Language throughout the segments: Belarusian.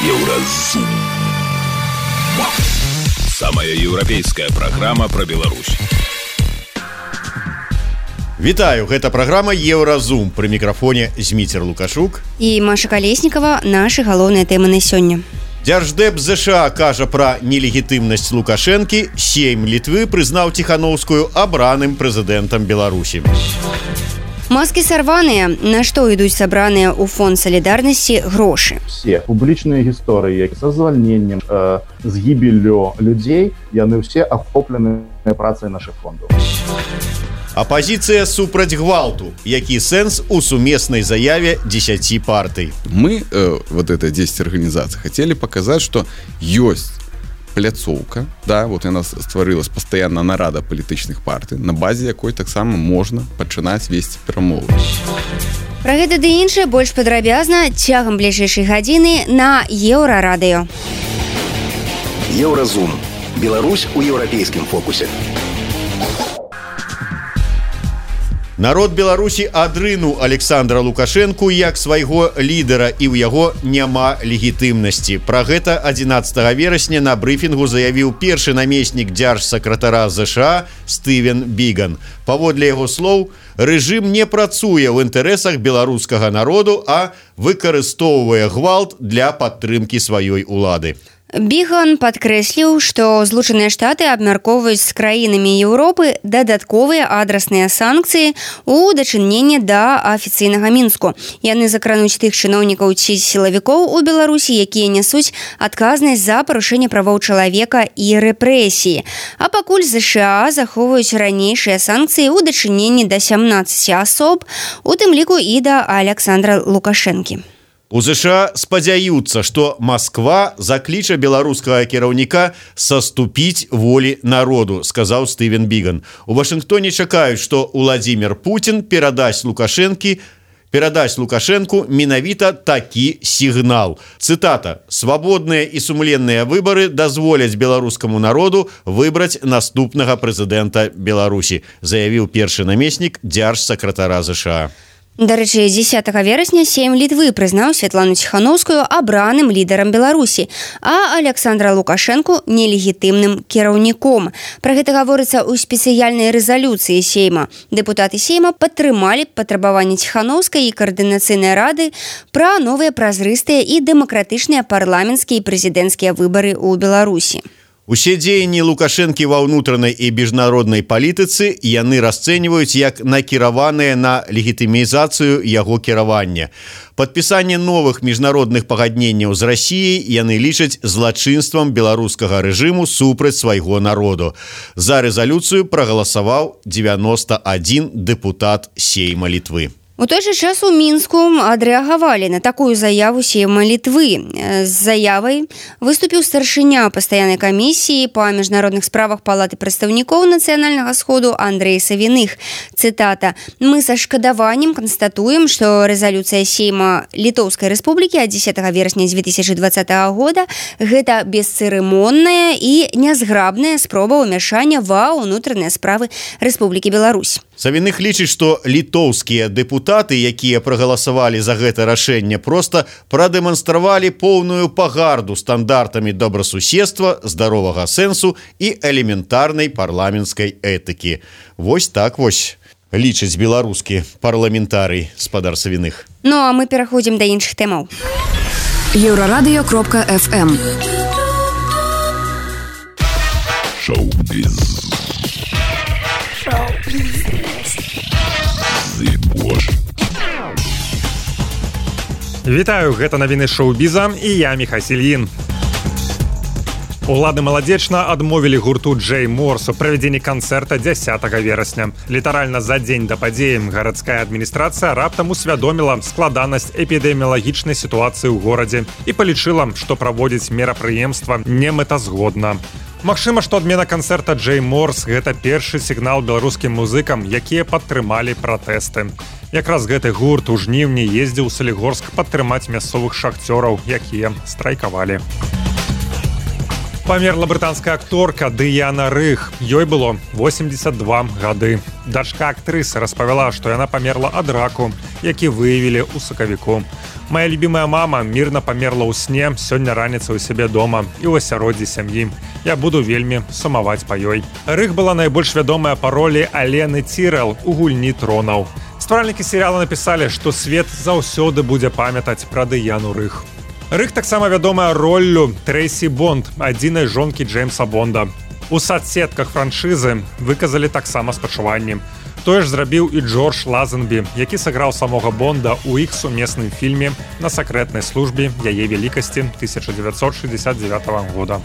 Еўразум. Самая еўрапейская праграма пра Беларусь. Вітаю, гэта праграма Еўразум. Пры мікрафоне Зміцер Лукашук і Маша Калеснікава. Нашы галоўныя тэмы на сёння. Дзярждэп ЗША кажа пра нелегітымнасць Лукашэнкі. Сейм Літвы прызнаў Ціханаўскую абраным прэзідэнтам Беларусі. Маскі сарваныя. На што ідуць сабраныя ў фонд салідарнасці грошы? Все публічныя гісторыі са звальненнем, з гібеллю людзей, яны ўсе ахоплены працай нашых фондаў. Апозіцыя супраць гвалту. Які сэнс у сумеснай заяве 10 партый? Мы, вот это 10 организаций, хотели показать, что есть пляцоўка, да, вот яна стварылась пастаянна нарада палітычных партый, на базе якой таксама можна пачынаць весці перамовы. Пра гэта ды іншае больш падрабязна цягам бліжэйшай гадзіны на Еўрарадыё. Еўразум. Беларусь у еўрапейскім фокусе. Народ Беларусі адрынуў Александра Лукашэнку як свайго лідара, і ў яго няма легітымнасці. Пра гэта 11 верасня на брыфінгу заявіў першы намеснік дзяржсакратара ЗША Стывен Біган. Паводле яго слоў, рэжым не працуе ў інтарэсах беларускага народу, а выкарыстоўвае гвалт для падтрымкі сваёй улады. Біган падкрэсліў, што Злучаныя Штаты абмяркоўваюць з краінамі Еўропы дадатковыя адрасныя санкцыі ў дачыненні да афіцыйнага Мінску. Яны закрануць тых чыноўнікаў ці сілавікоў у Беларусі, якія нясуць адказнасць за парушэнне правоў чалавека і рэпрэсіі. А пакуль ЗША захоўваюць ранейшыя санкцыі ў дачыненні да 17 асоб, у тым ліку і да Александра Лукашэнкі. У ЗША спадзяюцца, што Масква закліча беларускага кіраўніка саступіць волі народу, сказаў Стывен Біган. У Вашынгтоне чакаюць, што Уладзімір Пуцін перадасць Лукашэнку менавіта такі сігнал. Цытата: «Свабодныя і сумленныя выбары дазволяць беларускаму народу выбраць наступнага прэзідэнта Беларусі», заявіў першы намеснік дзяржсакратара ЗША. Дарэчы, 10 верасня Сейм Літвы прызнаў Святлану Ціханаўскую абраным лідарам Беларусі, а Александра Лукашэнку нелегітымным кіраўніком. Пра гэта гаворыцца ў спецыяльнай рэзалюцыі Сейма. Дэпутаты Сейма падтрымалі патрабаванні Ціханаўскай і каардынацыйнай рады пра новыя празрыстыя і дэмакратычныя парламенцкія і прэзідэнцкія выбары ў Беларусі. Усе дзеянні Лукашэнкі ва ўнутранай і міжнароднай палітыцы яны расцэньваюць як накіраваныя на легітымізацыю яго кіравання. Падпісанне новых міжнародных пагадненняў з Расіяй яны лічаць злачынствам беларускага рэжыму супраць свайго народу. За рэзалюцыю прагаласаваў 91 дэпутат Сейма Літвы. У той жа час у Мінску адрэагавалі на такую заяву Сейма Літвы. З заявай выступіў старшыня пастаяннай камісіі па міжнародных справах Палаты прадстаўнікоў Нацыянальнага сходу Андрэй Савіных. Цытата: «Мы са шкадаваннем канстатуем, што рэзалюцыя Сейма Літоўскай Рэспублікі ад 10 верасня 2020 года гэта бесцырымонная і нязграбная спроба ўмяшання ва ўнутраныя справы Рэспублікі Беларусь». Савіных лічыць, што літоўскія дэпутаты, якія прагаласавалі за гэта рашэнне, проста прадэманстравалі поўную пагарду стандартамі добрасуседства, здаровага сэнсу і элементарнай парламенцкай этыкі. Вось так вось лічыць беларускі парламентарый, спадар Савіных. Ну а мы пераходзім да іншых тэмаў. Еўрарадыё.фм. Шоу-біз. Вітаю, гэта навіны шоу-біза і я Міхась Ільін. Улады маладзечна адмовілі гурту Джей Морс у правядзенні канцэрта 10 верасня. Літаральна за дзень да падзеі гарадская адміністрацыя раптам усвядоміла складанасць эпідэміялагічнай сітуацыі ў горадзе і палічыла, што праводзіць мерапрыемства немэтазгодна. Магчыма, што адмена канцэрта Джей Морс гэта першы сігнал беларускім музыкам, якія падтрымалі пратэсты. Якраз гэты гурт у жніўні ездзіў у Салігорск падтрымаць мясцовых шахцёраў, якія страйкавалі. Памерла брытанская акторка Дыяна Рых. Ёй было 82 гады. Дачка актрысы распавяла, што яна памерла ад раку, які выявілі ў сакавіку. Моя любимая мама мирно памерла ў сне сёння раніцай у сябе дома і ў асяроддзі сям'і. Я буду вельмі сумаваць па ёй. Рых была найбольш вядомая па ролі Алены Цірэл у гульні тронаў. Стваральнікі серыяла напісалі, што свет заўсёды будзе памятаць пра Дыяну Рых. Рых таксама вядомая роллю Трэйсі Бонд, адзінай жонкі Джеймса Бонда. У соцсетках франшызы выказалі таксама спачуванні. Тое ж зрабіў і Джордж Лазенбі, які сыграў самога Бонда ў іх сумесным фільме «На сакрэтнай службе яе велікасці» 1969 года.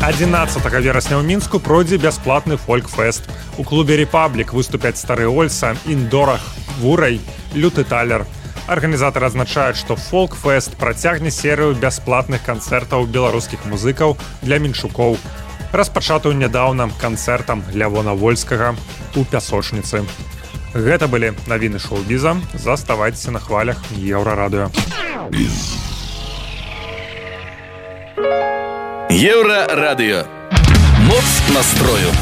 11 верасня ў Мінску пройдзе бясплатны фольк-фэст. У клубе «Репаблік» выступяць Стары Ольса, Індорах, Вурай, Люты Талер. Арганізатары адзначаюць, што фолк-фэст працягне серыю бясплатных канцэртаў беларускіх музыкаў для менчукоў, распачатую нядаўна канцэртам Лявона Вольскага у Пясочніцы. Гэта былі навіны шоу-біза. Заставайцеся на хвалях Еўрарадыё. Еўрарадыё. Моц настрою.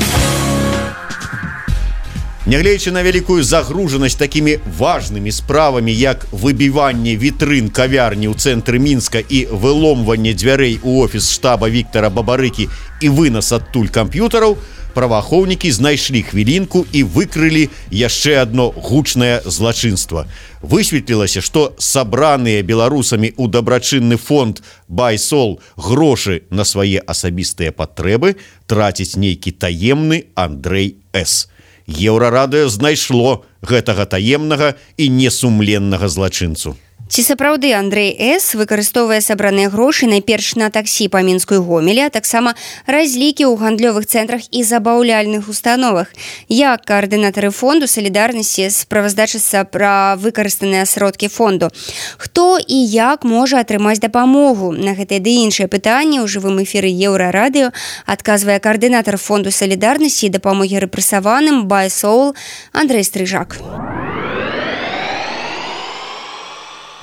Нягледзячы на вялікую загружанасць такімі важнымі справамі, як выбіванне вітрын кавярні ў цэнтры Мінска і выломванне дзвярэй у офіс штаба Віктара Бабарыкі і вынас адтуль камп'ютараў, праваахоўнікі знайшлі хвілінку і выкрылі яшчэ адно гучнае злачынства. Высветлілася, што сабраныя беларусамі ў дабрачынны фонд «Байсол» грошы на свае асабістыя патрэбы траціць нейкі таемны Андрэй С. Еўрарадыё знайшло гэтага таемнага і несумленнага злачынцу. Ці сапраўды Андрэй С. выкарыстоўвае сабраныя грошы найперш на таксі па Мінску і Гомелі, а таксама разлікі ў гандлёвых цэнтрах і забаўляльных установах. Як каардынатары фонду салідарнасці справаздачацца пра выкарыстаныя сродкі фонду? Хто і як можа атрымаць дапамогу? На гэтыя ды іншыя пытанні ў жывым эфіры Еўрарадыё адказвае каардынатар фонду салідарнасці і дапамогі рэпрэсаваным «Байсол» Андрэй Стрыжак.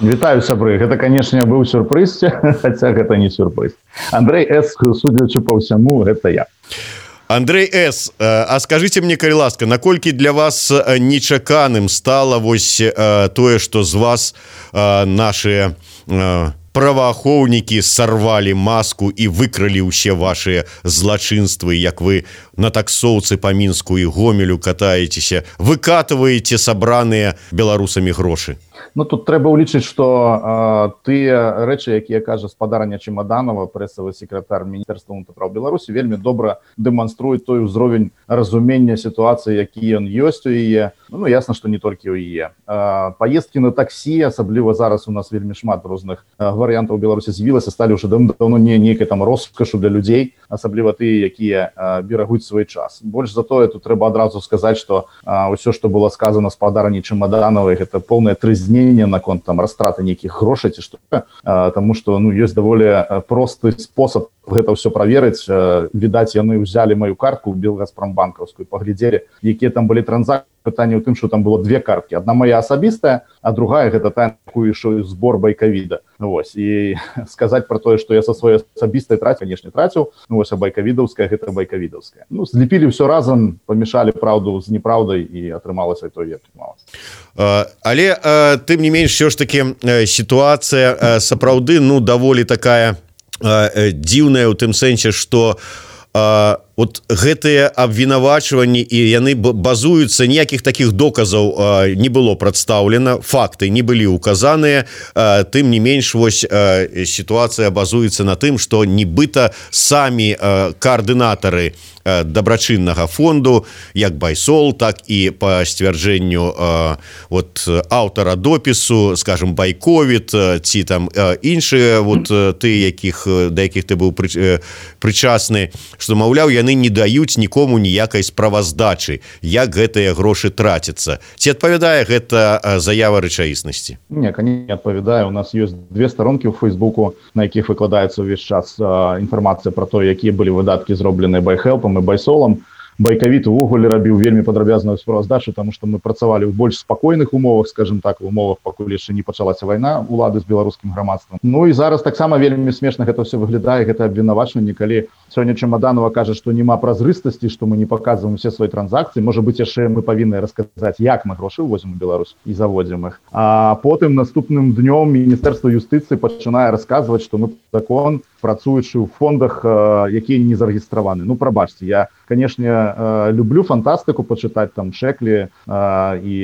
Вітаю, сябры. Гэта, канешне, быў сюрпрыз, хаця гэта не сюрпрыз. Андрэй С., судзячы па ўсяму, гэта я. Андрэй С., а скажыце мне, калі ласка, наколькі для вас нечаканым стала вось тое, што з вас нашыя праваахоўнікі сарвалі маску і выкралі ўсе вашыя злачынствы, як вы на таксоўцы па Мінску і Гомелю катаецеся, выкатваеце сабраныя беларусамі грошы? Ну, тут трэба ўлічыць, што тыя рэчы, якія кажа спадарня Чемаданова, прэсавы секретар Міністэрства ўнутраных спраў Беларусі, вельмі добра дэманструюць той узровень разумення сітуацыі, які ён ёсць у яе. Ну, ясна, што не толькі ў яе. Паездкі на таксі, асабліва зараз у нас вельмі шмат розных варыянтаў у Беларусі з'явілася, сталі ўжо даўно не нейкай там роскашу для людзей, асабліва тыя, якія берагуць свой час. Больш за тое, тут трэба адразу сказаць, што ўсё, што было сказана спадарні Чемадановай, гэта поўнае трызненне наконт там растраты нейкіх грошай ці што, таму што ёсць даволі просты спосаб гэта ўсё праверыць. Відаць, яны ўзялі маю картку Белгазпромбанкаўскую, паглядзелі, якія там былі транзакцыі. Пытанне ў тым, што там было две карткі. Адна моя асабістая, а другая гэта та, якую ішоў збор байкавіда. Вось. І сказаць пра тое, што я са сваёй асабістай траціў, канешне, траціў, а байкавідаўская гэта байкавідаўская. Злепілі ўсё разам, памешалі праўду з неправдай і атрымалася той, як атрымалася. Але тым не менш, ўсё ж такі сітуацыя сапраўды даволі такая дзіўная ў тым сэнсе, што вот гэтыя абвінавачванні і яны базуюцца, ніякіх такіх доказаў не было прадстаўлена, факты не былі указаныя, тым не менш вось сітуацыя базуецца на тым, што нібыта самі каардынатары дабрачыннага фонду, як Байсол, так і па сцвярджэнню аўтара допісу, скажем, Байковіт ці там іншыя ты, да якіх ты быў прычасны, што, маўляў, яны не даюць нікому ніякай справаздачы, як гэтыя грошы трацяцца. Ці адпавядае гэта заява рэчаіснасці? Не, конечно, не адпавядае. У нас ёсць две старонкі ў Фейсбуку, на якіх выкладаецца ўвесь час інфармацыя пра то, якія былі выдаткі зробленыя Байхелпам і Байсолам. Байкавіт увогуле рабіў вельмі падрабязную справаздачу, таму што мы працавалі ў больш спакойных умовах, скажем так, в умовах, пакуль яшчэ не пачалася вайна улады з беларускім грамадствам. Ну і зараз таксама вельмі смешна гэта все выглядае, гэта абвінавачванне, калі сёння Чемаданова кажа, што няма празрыстасці, што мы не паказваем усе свае транзакцыі. Можа быць, яшчэ мы павінны расказаць, як мы грошы ўвозім у Беларусь і заводзім іх. А потым наступным днём Міністэрства юстыцыі пачынае расказваць, што мы закон, працуючы ў фондах, якія не зарэгістраваны. Ну, прабачце, я, канешне, люблю фантастыку пачытаць там Шеклі і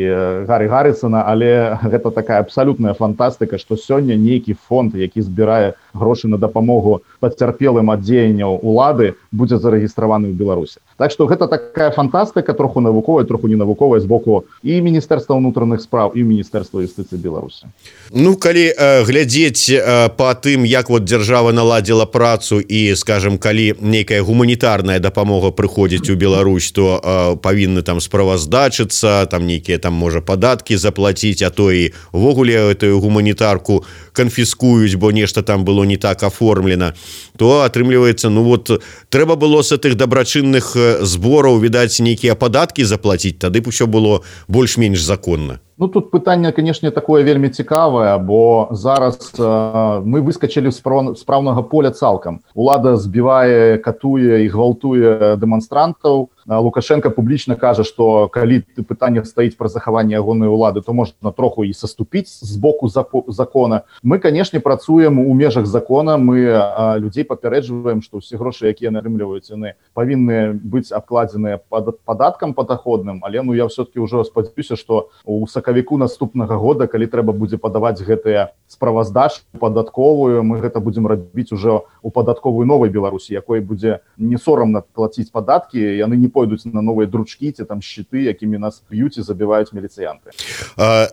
Гаррі Гаррісона, але гэта такая абсалютная фантастыка, што сёння нейкі фонд, які збірае грошы на дапамогу пацярпелым ад дзеянняў улады, будзе зарэгістраваны ў Беларусі. Так што гэта такая фантастыка, троху навуковая, троху ненавуковая з боку і Міністэрства ўнутраных спраў, і Міністэрства юстыцыі Беларусі. Ну, калі глядзець па тым, як вот дзяржава наладзіла працу і, скажем, калі нейкая гуманітарная дапамога прыходзіць у Беларусь, то павінны там справаздачыцца, там нейкія там можа падаткі заплаціць, а то і увогуле гэтую гуманітарку канфіскуюць, бо нешта там было не так аформлена, то атрымліваецца, ну вот трэба было з гэтых дабрачынных збораў, відаць, нейкія падаткі заплаціць, тады б усё было больш-менш законна. Ну, тут пытанне, канешне, такое вельмі цікавае, бо зараз мы выскачылі з спраўнага поля цалкам. Улада збівае, катуе і гвалтуе дэманстрантаў. Лукашенко публічна кажа, што калі пытанне стаіць пра захаванне ягонай улады, то можна троху і саступіць з боку закона. Мы, канешне, працуем у межах закона, мы людзей папярэджваем, што ўсе грошы, якія нарымліваюць, яны павінны быць абкладзеныя падаткам падаходным, але ну я ўсё-таки ўжо спадзяюся, што у сакавіку наступнага года, калі трэба будзе падаваць гэтыя справаздачы падатковую, мы гэта будзем рабіць ужо у падатковую новай Беларусі, якой будзе не сорамна плаціць падаткі, яны не пойдуць на новыя дручкі ці там шчыты, якімі нас б'юць і забіваюць міліцыянты.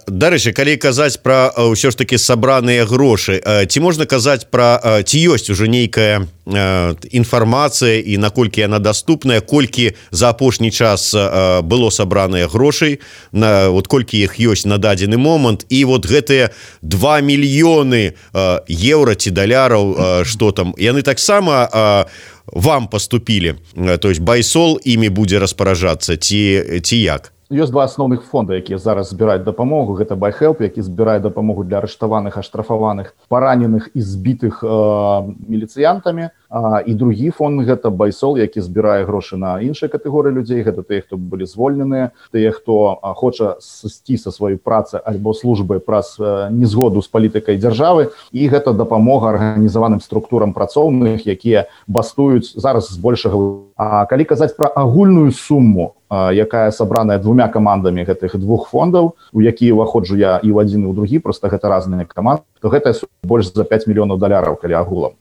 Дарэчы, калі казаць пра ўсё ж такі сабраныя грошы, ці можна казаць пра ці ёсць ужо нейкая інфармацыя і наколькі яна даступная, колькі за апошні час было сабраныя грошай, вот колькі іх ёсць на дадзены момант, і вот гэтыя 2 мільёны еўра ці даляраў, што там, яны таксама вам поступілі, то есть Байсол імі будзе распараджацца ці як? Ёсць два асноўных фонда, якія зараз збіраюць дапамогу. Гэта BuyHelp, які збірае дапамогу для арыштаваных, аштрафаваных, параненых і збітых міліцыянтамі. І другі фонд – гэта Байсол, які збірае грошы на іншыя катэгорыі людзей. Гэта тыя, хто былі звольненыя, тыя, хто хоча сысці са сваёй працы альбо службы праз незгоду з палітыкай дзяржавы. І гэта дапамога арганізаваным структурам працоўных, якія бастуюць зараз збольшага. А калі казаць пра агульную суму, якая сабраная двумя камандамі гэтых двух фондаў, у якія ўваходжу я і ў адзін, і ў другі, проста гэта разныя каманды, то гэтая сума больш за 5 мільёнаў даляраў, калі агулам.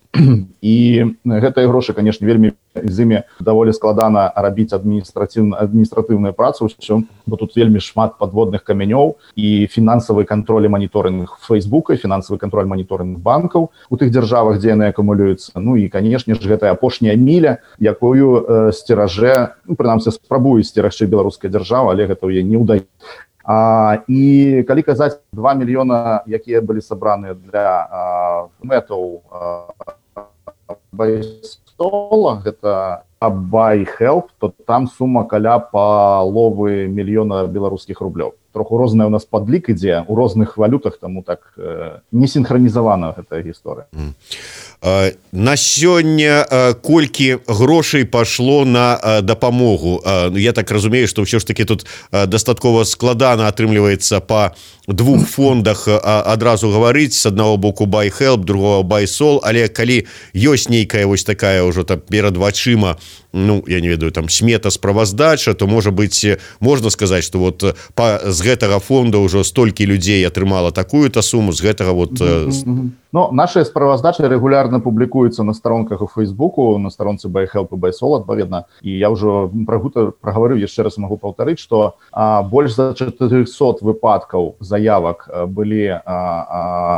І гэтыя грошы, канешне, вельмі з імі даволі складана рабіць адміністратыўную працу, бо тут вельмі шмат падводных камянёў і фінансавы кантроль і маніторынг Фейсбука, фінансавы кантроль маніторынг банкаў у тых дзяржавах, дзе яны акумулююцца. Ну і, канешне ж, гэтая апошняя міля, якую сцеражэ, ну, прынамсі, спрабуе сцерагчы беларуская дзяржава, але гэта ў яе не ўдаецца. І калі казаць 2 мільёна, якія былі сабраны для мэтаў Байсола, гэта BuyHelp, то там сума каля паловы мільёна беларускіх рублёў. Троху розная у нас падлік ідзе у розных валютах, таму так не сінхранізавана гэтая гісторыя. На сёння колькі грошай пашло на дапамогу? Я так разумею, што ўсё ж таки тут дастаткова складана атрымліваецца па двух фондах адразу гаварыць, з аднаго боку BuyHelp, другого Байсол, але калі ёсць нейкая вось такая ўжо там перад вачыма, ну, я не ведаю, там смета справаздача, то можа быць, можна сказаць, што вот з гэтага фонда ўжо столькі людзей атрымала такую-то суму, з гэтага вот... Ну, наши справаздачы регулярно публікуюцца на старонках у Фейсбуку, на старонцы BuyHelp і Байсол, адпаведна. І я ўжо прагаварыў, яшчэ раз магу паўтарыць, што больш за 400 выпадкаў заявак былі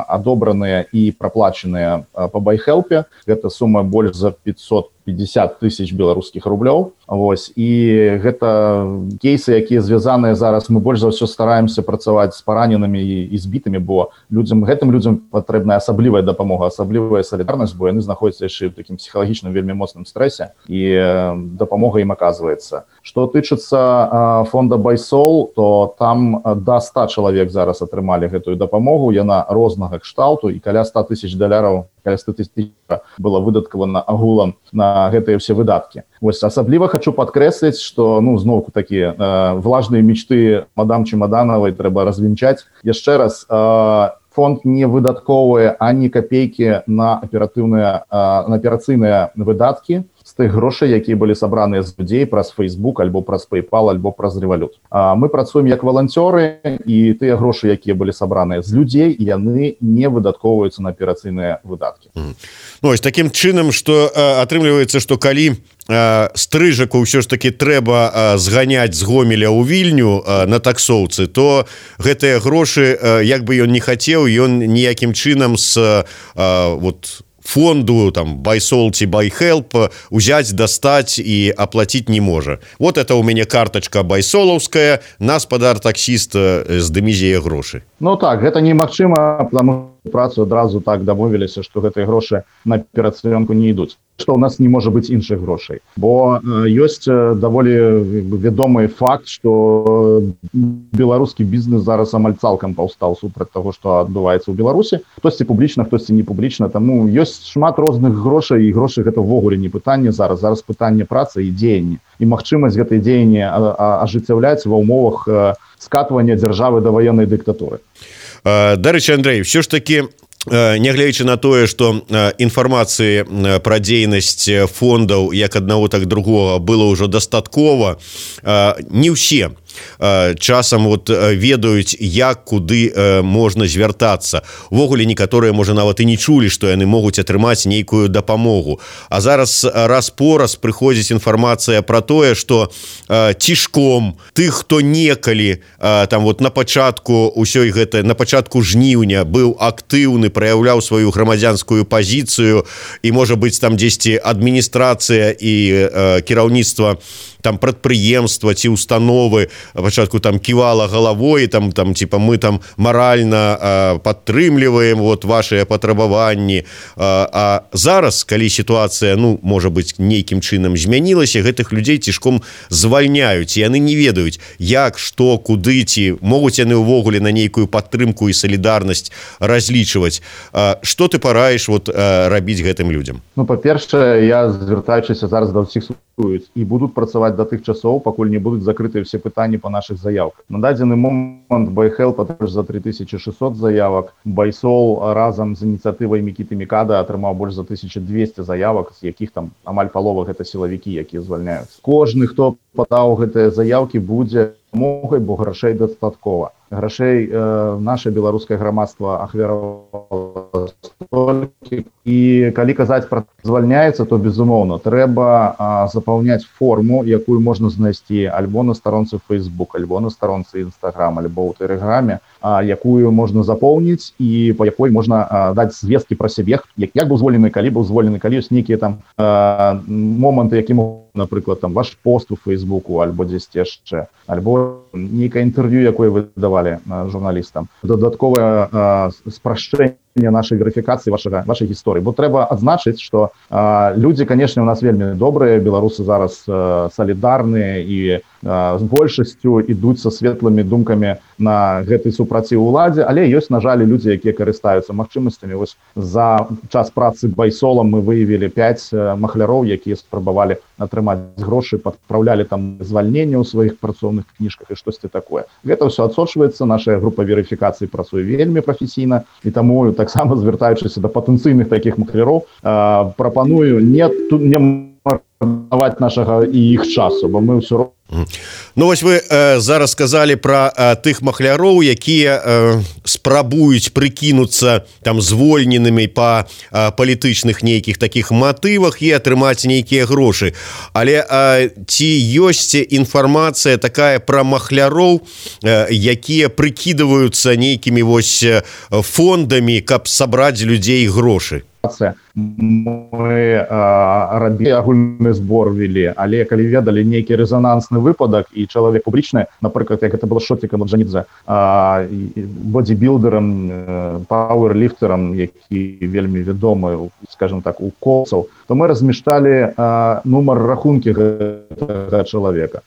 адобраныя і праплачаныя па BuyHelp. Гэта сума больш за 550 тысяч беларускіх рублёў. Вось, і гэта кейсы, якія звязаныя зараз, мы больш за ўсё стараемся працаваць з параненымі і збітымі, бо гэтым людзям патрэбная асаблівая дапамога, асаблівая салідарнасць, бо яны знаходзяцца яшчэ ў такім псіхалагічным вельмі моцным стрэсе, і дапамога ім аказваецца. Што тычыцца фонда Байсол, то там да 100 чалавек зараз атрымалі гэтую дапамогу, яна рознага кшталту, і каля $100 000, каля 100 000 было выдаткавана агулам на гэтыя ўсе выдаткі. Вось, асабліва хочу падкрэсліць, што, зноўку такія влажныя мечты мадам Чемаданавай трэба развінчаць. Яшчэ раз, фонд не выдатковыя ані капейкі на аперацыйныя выдаткі з тых грошай, якія былі сабраныя з людзей праз Facebook, альбо праз PayPal, альбо праз Revolut. Мы працуем як валанцёры, і тыя грошы, якія былі сабраныя з людзей, яны не выдатковваюцца на аперацыйныя выдаткі. Ось такім чынам, што атрымліваецца, што калі стрыжаку ўсё ж таки трэба зганяць з Гомеля ў Вільню на таксоўцы, то гэтыя грошы, як бы ён не хацеў, ён ніякім чынам з фонду там Байсол ці Байхелп узяць, дастаць і аплаціць не можа. Вот это у мяне картачка байсолаўская, нас спадар-таксіст здымізе грошы. Так, гэта немагчыма, потому што працу адразу так дамовіліся, што гэтыя грошы на аперацыёнку не ідуць. Што ў нас не можа быць іншых грошай. Бо ёсць даволі вядомы факт, што беларускі бізнес зараз амаль цалкам паўстаў супраць таго, што адбываецца ў Беларусі. Хтосьці публічна, хтосьці не публічна. Таму ёсць шмат розных грошай, і грошы гэта ўвогуле не пытанне зараз. Зараз пытанне працы і дзеяння. І магчымасць гэтай дзеяння ажыццяўляць ва ўмовах скатвання дзяржавы да ваеннай дыктатуры. Дарэчы, Андрэй, ўсё ж такі, нягледзячы на тое, што інфармацыі пра дзейнасць фондаў як аднаго, так другога было ўжо дастаткова, не ўсе часам ведаюць, як, куды можна звяртацца. Увогуле некаторыя, можа, нават і не чулі, што яны могуць атрымаць нейкую дапамогу. А зараз раз-пораз прыходзіць інфармацыя пра тое, што цішком тых, хто некалі там на пачатку ўсёй гэтай, на пачатку жніўня быў актыўны, праяўляў сваю грамадзянскую пазіцыю, і, можа быць, там дзесьці адміністрацыя і кіраўніцтва там прадпрыемства ці установы пачатку там ківала галавой, там типа мы там маральна падтрымліваем вашыя патрабаванні. А зараз, калі сітуацыя, можа быць, нейкім чынам змянілася, гэтых людзей цішком звальняюць, і яны не ведаюць, як, што, куды, ці могуць яны ўвогуле на нейкую падтрымку і салідарнасць разлічваць. Што ты параіш рабіць гэтым людзям? Па-першае, я, звяртаючыся зараз да ўсіх, і будуць працаваць да тых часоў, пакуль не будуць закрытыя ўсе пытанні па нашых заявках. На дадзены момант Байхелп атрымаў за 3600 заявак, Байсол разам з ініцыятывай Мікіты Мікада атрымаў больш за 1200 заявак, з якіх там амаль палова гэта сілавікі, якія звальняюцца. Кожны, хто падаў гэтыя заявкі, будзе дапамогай, бо грошай дастаткова. Грошай наше беларускае грамадства ахвяравала столькі. І калі казаць пра звальняецца, то, безумоўна, трэба запаўняць форму, якую можна знайсці альбо на старонцы Facebook, альбо на старонцы Instagram, альбо ў Тэлеграме, якую можна запоўніць і па якой можна даць звесткі пра сябе, як быў звольнены, калі быў звольнены, калі ёсць нейкія там моманты, які могуць, напрыклад, там ваш пост у Фейсбуку, альбо дзесьці яшчэ, альбо нейкае інтэрв'ю, якое вы давалі журналістам. Дадатковае спрашчэнне нашай верыфікацыі вашай гісторыі. Бо трэба адзначыць, што людзі, канешне, у нас вельмі добрыя, беларусы зараз салідарныя і з большасцю ідуць са светлымі думкамі на гэтай супраціў уладзе, але ёсць, на жаль, людзі, якія карыстаюцца магчымасцямі. Вось за час працы Байсолам мы выявілі 5 махляроў, якія спрабавалі атрымаць грошы, падпраўлялі там звальненне ў сваіх працоўных кніжках і штосьці такое. Гэта ўсё адсочваецца, наша група верыфікацыі працуе вельмі прафесійна, і таму таксама, звяртаючыся да патэнцыйных такіх махляроў, прапаную не марнаваць нашага і іх часу, бо мы ўсё роўна. Вось вы зараз сказалі пра тых махляроў, якія спрабуюць прыкінуцца там звольненымі па палітычных нейкіх такіх матывах і атрымаць нейкія грошы. Але ці ёсць інфармацыя такая пра махляроў, якія прыкідваюцца нейкімі фондамі, каб сабраць людзей грошы? мы рабілі агульны збор вели, але калі ведалі нейкі рэзанансны выпадак і чалавек публічны, напрыклад, як это было Шотикам Орджанідзе, бодибілдерам, пауэрліфтерам, які вельмі вядомы, скажем так, у колцаў, то мы размяшчалі нумар рахункі гэтага чалавека,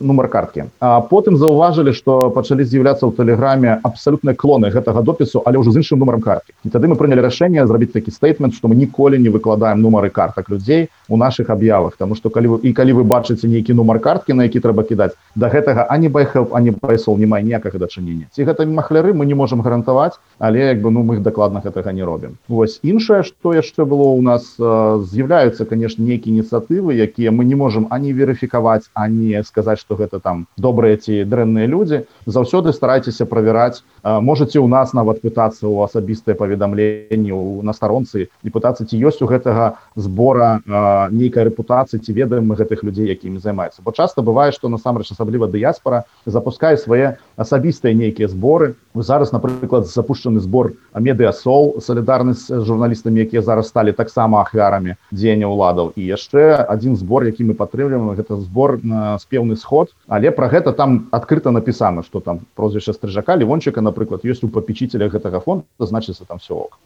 нумар карткі. А потым заўважылі, што пачалі з'яўляцца ў тэлеграме абсалютныя клоны гэтага допісу, але ўжо з іншым нумарам карткі. І тады мы прынялі рашэнне зрабіць такі стейтмент, што мы ніколі не выкладаем нумары картак людзей у нашых аб'явах, таму што калі вы бачыце нейкі нумар карткі, на які трэба кідаць, да гэтага ані байхелп, ані байсол не мае ніякага дачынення. Ці гэта махляры, мы не можам гарантаваць, але мы дакладна гэтага не робім. Вось іншае, што яшчэ было ў нас, з'яўляюцца, канешне, нейкія ініцыятывы, якія мы не можам ані верыфікаваць, ані сказаць, што гэта там добрыя ці дрэнныя людзі. Заўсёды старайцеся правяраць. Можаце ў нас нават пытацца ў асабістыя паведамленні на старонцы і пытацца, ці ёсць у гэтага збора нейкая рэпутацыя, ці ведаем мы гэтых людзей, якімі займаюцца. Бо часта бывае, што насамрэч асабліва дыяспара запускае свае асабістыя нейкія зборы. Зараз, напрыклад, запушчаны збор Медыасол, салідарнасць з журналістамі, якія зараз сталі таксама ахвярамі дзеяння ўладаў. І яшчэ адзін збор, які мы падтрымліваем, гэта збор «Спеўны сход», але пра гэта там адкрыта напісана, што там прозвішча Стрыжака, Левончыка, напрыклад, ёсць у папечителях гэтага фонда, значыцца там все ок.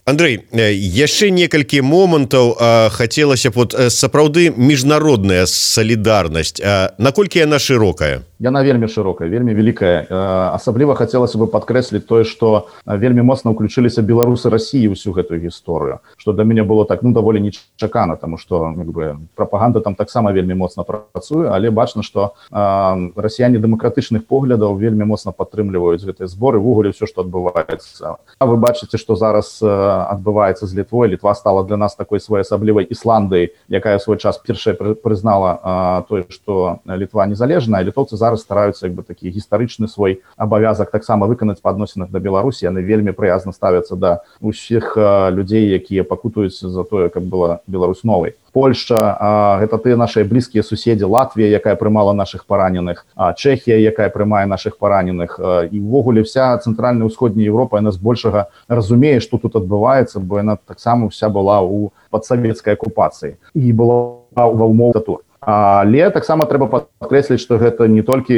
Андрей, яшчэ некалькі момантаў хацелася б, сапраўды міжнародная салідарнасць, наколькі яна шырокая? Яна вельмі шырокая, вельмі вялікая. Асабліва хацелася бы падкрэсліць тое, што вельмі моцна ўключыліся беларусы Расіі ў усю гэтую гісторыю, што для мяне было так, даволі нечакана, таму што прапаганда там таксама вельмі моцна працуе, але бачна, што расіяне дэмакратычных поглядаў вельмі моцна падтрымліваюць гэтыя зборы, увогуле ўсё, што адбываецца. А вы бачыце, што зараз адбываецца з Літвой. Літва стала для нас такой своеасаблівай Ісландыяй, якая ў свой час першая прызнала тое, што Літва незалежная, а літоўцы зараз стараюцца такі гістарычны свой абавязак таксама выканаць па адносінах да Беларусі. Яны вельмі прыязна ставяцца да ўсіх людзей, якія пакутуюць за тое, каб была Беларусь новай. Польшча, гэта тыя нашыя блізкія суседзі, Латвія, якая прымала нашых параненых, Чэхія, якая прымае нашых параненых, і ўвогуле вся цэнтральная ўсходняя Еўропа, яна збольшага разумее, што тут адбываецца, бо яна таксама вся была ў падсавецкай акупацыі і была ва ўмовах диктатур. Але таксама трэба падкрэсліць, што гэта не толькі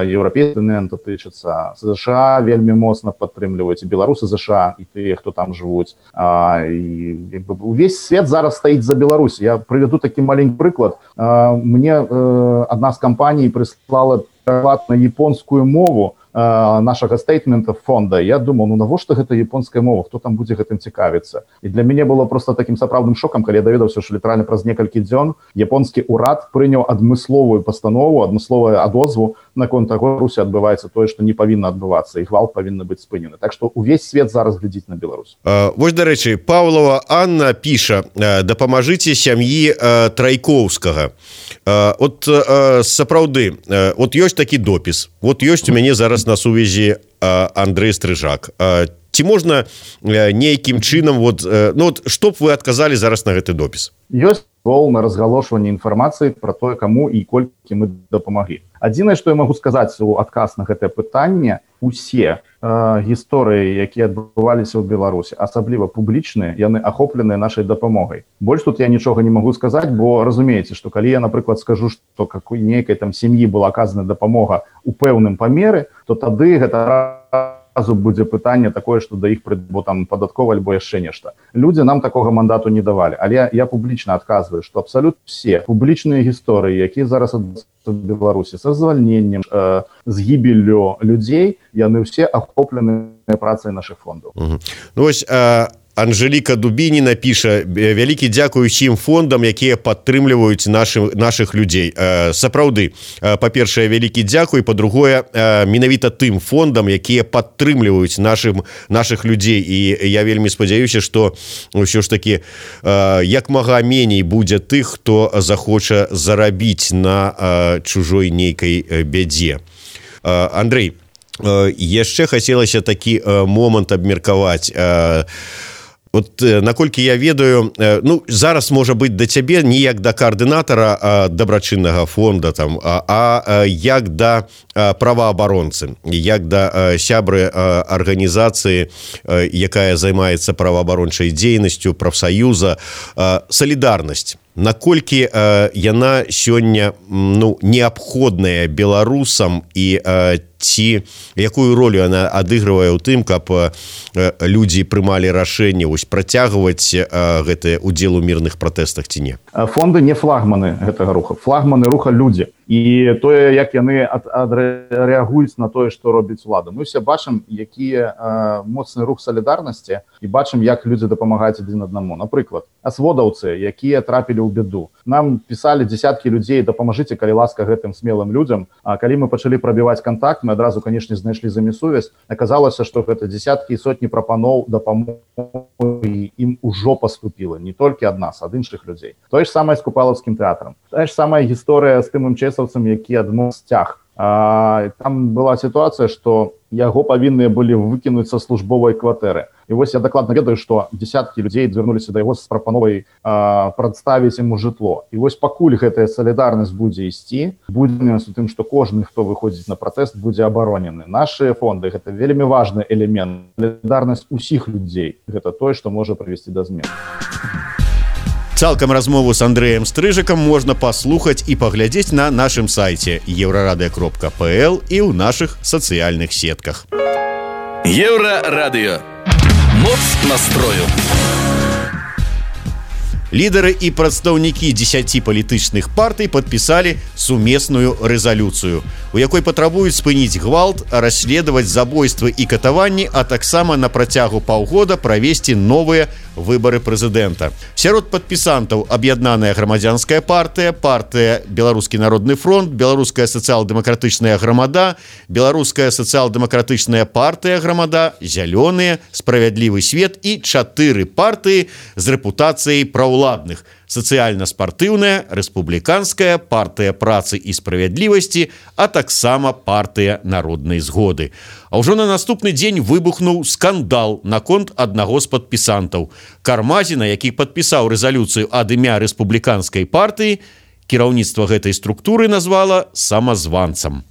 еўрапейскі контынент тычыцца. ЗША вельмі моцна падтрымліваюць, і беларусы ЗША, і тыя, хто там жывуць. І увесь свет зараз стаіць за Беларусь. Я прывяду такі маленькі прыклад. Мне адна з кампаній прыслала пераклад на японскую мову нашага стейтмента фонда. Я думаў, навошта гэта японская мова, хто там будзе гэтым цікавіцца. І для мяне было просто такім сапраўдным шокам, калі я даведаўся, што літаральна праз некалькі дзён японскі ўрад прыняў адмысловую пастанову, адмысловую адозву наконт таго, Русі адбываецца тое, што не павінна адбывацца, і гвалт павінны быць спынены. Так што увесь свет зараз глядзіць на Беларусь. Вось, дарэчы, Паўлова Анна піша: дапамажыце сям'і Трайкоўскага. От сапраўды, от ёсць такі допіс, вот ёсць у мяне зараз на сувязі Андрэй Стрыжак. Ці можна нейкім чынам, што б вы адказалі зараз на гэты допіс? Ёсць на разгалошванне інфармацыі пра тое, каму і колькі мы дапамаглі. Адзінае, што я магу сказаць у адказ на гэтае пытанне, усе гісторыі, якія адбываліся ў Беларусі, асабліва публічныя, яны ахопленыя нашай дапамогай. Больш тут я нічога не магу сказаць, бо разумееце, што калі я, напрыклад, скажу, што нейкай там сям'і была аказана дапамога ў пэўным памеры, то тады гэта разу будзе пытанне такое, што да іх там падаткова альбо яшчэ нешта. Людзі нам такога мандату не давалі, але я публічна адказваю, што абсалютна все публічныя гісторыі, якія зараз адбываюцца в Беларусі са звальненнем, з гібеллю людзей, яны ўсе ахоплены працай нашых фондаў. Вось Анжеліка Дубініна піша: вялікі дзякуй усім фондам, якія падтрымліваюць нашых людзей. Сапраўды, па-першае, вялікі дзякуй, па-другое, менавіта тым фондам, якія падтрымліваюць нашых людзей. І я вельмі спадзяюся, што ўсё ж такі як мага меней будзе тых, хто захоча зарабіць на чужой нейкай бядзе. Андрэй, яшчэ хацелася такі момант абмеркаваць. Вот наколькі я ведаю, ну зараз можа быць да цябе не як да каардынатара дабрачыннага фонда там, а як да праваабаронцы, як да сябры арганізацыі, якая займаецца праваабарончай дзейнасцю, прафсаюза, салідарнасць. Наколькі яна сёння неабходная беларусам і ці якую ролю она адыгрывае ў тым, каб людзі прымалі рашэнне працягваць гэты удзел у мірных пратэстах ці не? Фонды не флагманы гэтага руха. Флагманы руха людзі. І тое, як яны рэагуюць на тое, што робіць улада. Мы ўсе бачым, які моцны рух салідарнасці, і бачым, як людзі дапамагаюць адзін аднаму. Напрыклад, асводаўцы, якія трапілі ў беду. Нам пісалі дзесяткі людзей: дапамажыце, калі ласка, гэтым смелым людзям. А калі мы пачалі прабіваць контакт, мы адразу, канешне, знайшлі з імі сувязь. Аказалася, што гэта дзесяткі і сотні прапаноў дапамогі ім ужо паступіла. Не толькі ад нас, ад іншых людзей. Тое ж самае з Купалаўскім тэатрам. Тая ж самая гісторыя з тым МЧСаўцам, які адмоў сцяг. Там была сітуацыя, што яго павінныя былі выкінуць са службовай кватэры. І вось я дакладна ведаю, што дзесяткі людзей звярнуліся да яго з прапановай прадставіць яму жытло. І вось пакуль гэтая салідарнасць будзе ісці, будзе у тым, што кожны, хто выходзіць на пратэст, будзе абаронены. Нашы фонды — гэта вельмі важны элемент. Салідарнасць усіх людзей — гэта тое, што можа прывесці да змен. Цалкам размову з Андрэем Стрыжыкам можна паслухаць і паглядзець на нашым сайце еврорадио.пл і ў нашых сацыяльных сетках. Еврорадио. Моц настрою. Лідары і прадстаўнікі 10 палітычных партый падпісалі сумесную рэзалюцыю, у якой патрабуюць спыніць гвалт, расследаваць забойствы і катаванні, а таксама на працягу паўгода правесці новыя выбары прэзідэнта. Сярод падпісантаў аб'яднаная грамадзянская партыя, партыя Беларускі народны фронт, Беларуская сацыял-дэмакратычная грамада, Беларуская сацыял-дэмакратычная партыя грамада, Зялёныя, Справядлівы свет і 4 партыі з рэпутацыяй праўладных: сацыяльна-спартыўная, рэспубліканская, партыя працы і справядлівасці, а таксама партыя народнай згоды. А ўжо на наступны дзень выбухнуў скандал наконт аднаго з падпісантаў. Кармазіна, які падпісаў рэзалюцыю ад імя рэспубліканскай партыі, кіраўніцтва гэтай структуры назвала самазванцам.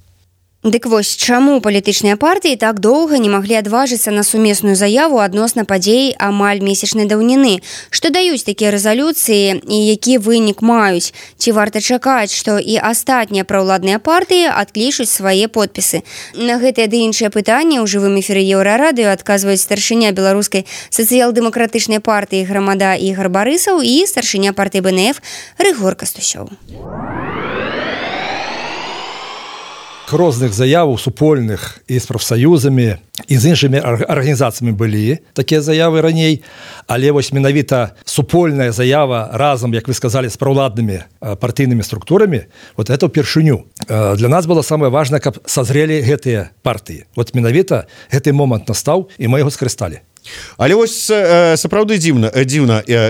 Дык вось, чаму палітычныя партыі так доўга не маглі адважыцца на сумесную заяву адносна падзей амаль месячнай даўніны? Што даюць такія рэзалюцыі і які вынік маюць? Ці варта чакаць, што і астатнія праўладныя партыі адклічуць свае подпісы? На гэтыя ды іншыя пытанні ў жывым эфіры Еўрарадыё адказваюць старшыня беларускай сацыял-дэмакратычнай партыі грамада Ігар Барысаў і старшыня партыі БНФ Рыгор Кастусёў. Розных заяваў супольных і з прафсаюзамі і з іншымі арганізацыямі былі такія заявы раней, але вось менавіта супольная заява разам, як вы сказалі, з праўладнымі партыйнымі структурамі, вот это ўпершыню. Для нас было самае важнае, каб сазрелі гэтыя партыі. Вот менавіта гэты момант настаў, і мы яго скарысталі. Але вось сапраўды дзіўна,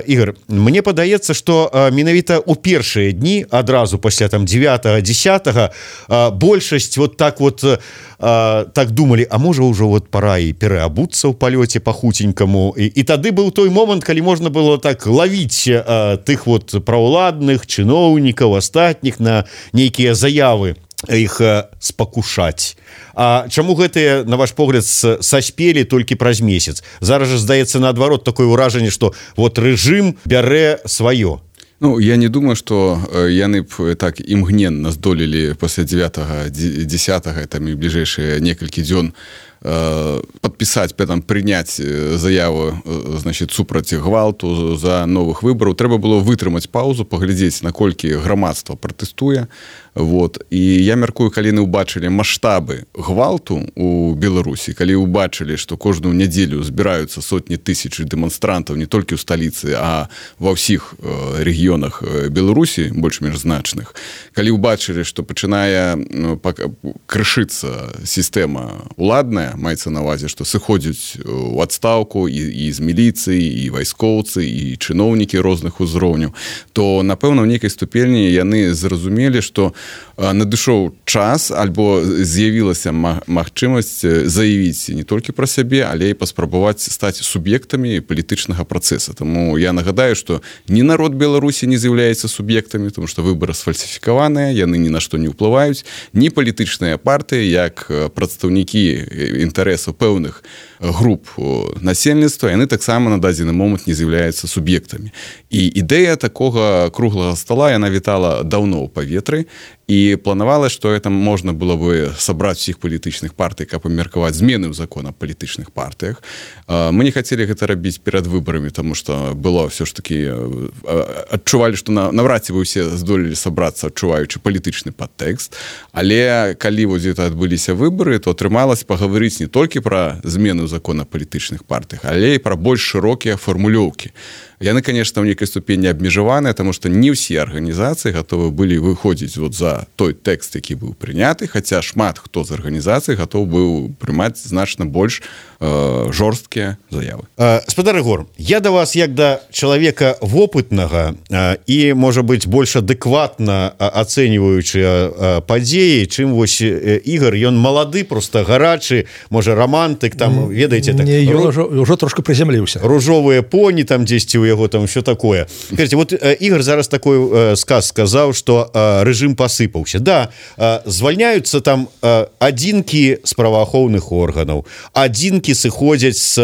Ігар, мне падаецца, што менавіта ў першыя дні, адразу пасля там 9-10, большасць вот так думалі, а можа ўжо вот пора і пераабуцца ў палёце па-хуценькаму. І тады быў той момант, калі можна было так лавіць тых вот праўладных чыноўнікаў, астатніх на нейкія заявы, іх спакушаць. А чаму гэтыя, на ваш погляд, саспелі толькі праз месяц? Зараз жа здаецца наадварот такое ўражанне, што вот рэжым бярэ сваё. Ну, я не думаю, што яны б так імгненна здолелі пасля 9-10, там і бліжэйшыя некалькі дзён падпісаць, прыняць заяву, значит, супраць гвалту за новых выбараў. Трэба было вытрымаць паузу, паглядзець, наколькі грамадства пратэстуе. Вот. І я мяркую, калі яны ўбачылі маштабы гвалту ў Беларусі, калі ўбачылі, што кожную нядзелю збіраюцца сотні тысяч дэманстрантаў не толькі ў сталіцы, а ва ўсіх рэгіёнах Беларусі, больш-менш значных, калі ўбачылі, што пачынае крышыцца сістэма уладная, маецца на ўвазе, што сыходзяць у адстаўку і з міліцыі, і вайскоўцы, і чыноўнікі розных узроўняў, то, напэўна, ў нейкай ступені яны зразумелі, што надышоў час альбо з'явілася магчымасць заявіць не толькі пра сябе, але і паспрабаваць стаць суб'ектамі палітычнага працэса. Таму я нагадаю, што ні народ Беларусі не з'яўляецца суб'ектамі, тому што выбары сфальсіфікаваныя, яны ні на што не ўплываюць, ні палітычныя партыі, як прадстаўнікі інтарэсаў пэўных груп насельніцтва, яны таксама на дадзены момант не з'яўляюцца суб'ектамі. І ідэя такога круглага стола, яна вітала даўно ў паветры, і планавалася, што это можна было бы сабраць усіх палітычных партый, каб абмеркаваць змены ў закон аб палітычных партыях. Мы не хацелі гэта рабіць перад выбарамі, таму што было ўсё ж такі адчувалі, што наўрад ці вы ўсе здолелі сабрацца, адчуваючы палітычны падтэкст, але калі вось гэта адбыліся выбары, то атрымалася пагаварыць не толькі пра змены ў закон аб палітычных партыях, але і пра больш шырокія фармулёўкі. Яны, конечно, ў нейкай ступені абмежаваныя, таму што не ўсе арганізацыі гатовы былі выходзіць вот за той тэкст, які быў прыняты, хаця шмат хто з арганізацый гатоў быў прымаць значна больш жорсткія заявы. Спадар Ігор, я да вас як да чалавека вопытнага і, можа быць, больш адэкватна ацэньваючы падзеі, чым вось Ігор, ён малады, просто гарачы, можа, романтык, там, ведаеце, так... Не, ён ужо трошку прызямліўся. Ружовыя поні там дзесьці ў яго там ўсё такое. Кажите, вот Ігор зараз такой сказ сказаў, што рэжым пасыпаўся. Да, звальняюцца там адзінкі з праваахоўных органаў, адзінкі сыходзяць з